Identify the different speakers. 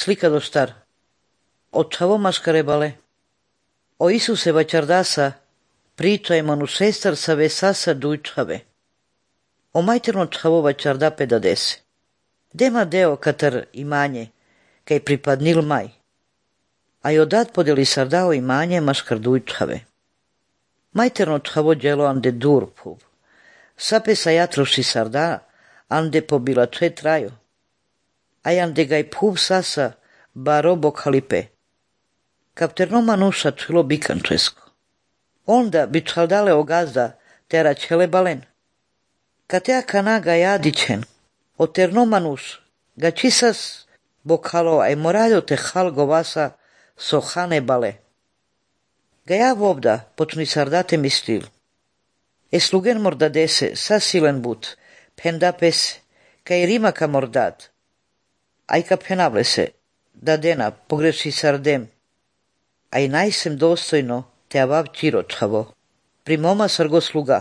Speaker 1: slika do star. Otchavo mascarebale. O Isuse vačardasa pričajmo nu sestar save sasa dujčave. O majterno čavo vačarda pedadese. Dema deo katar imanje, kaj pripadnil maj. A i odat podeli sardao imanje maskar dujčave. Majterno čavo djelo ande durpub. Sape sa jatruši sarda, ande pobila če traju. A ande gaj pub sasa barobo kalipe. Kapterno manuša čilo bikančesko. Onda bi čaldale ogazda tera čele balen. Katea kanaga jadićen, o terno manuš, ga čisas bokalo aj moraljo te halgo vasa sohane bale. Ga ja vobda počni sardate mislil. E slugen mordadese sa silen but, pendapes, kaj rimaka mordad. Aj ka penable se, da dena pogreši sardem. Aj najsem dostojno te avav čiročavo. Primoma sargo sluga.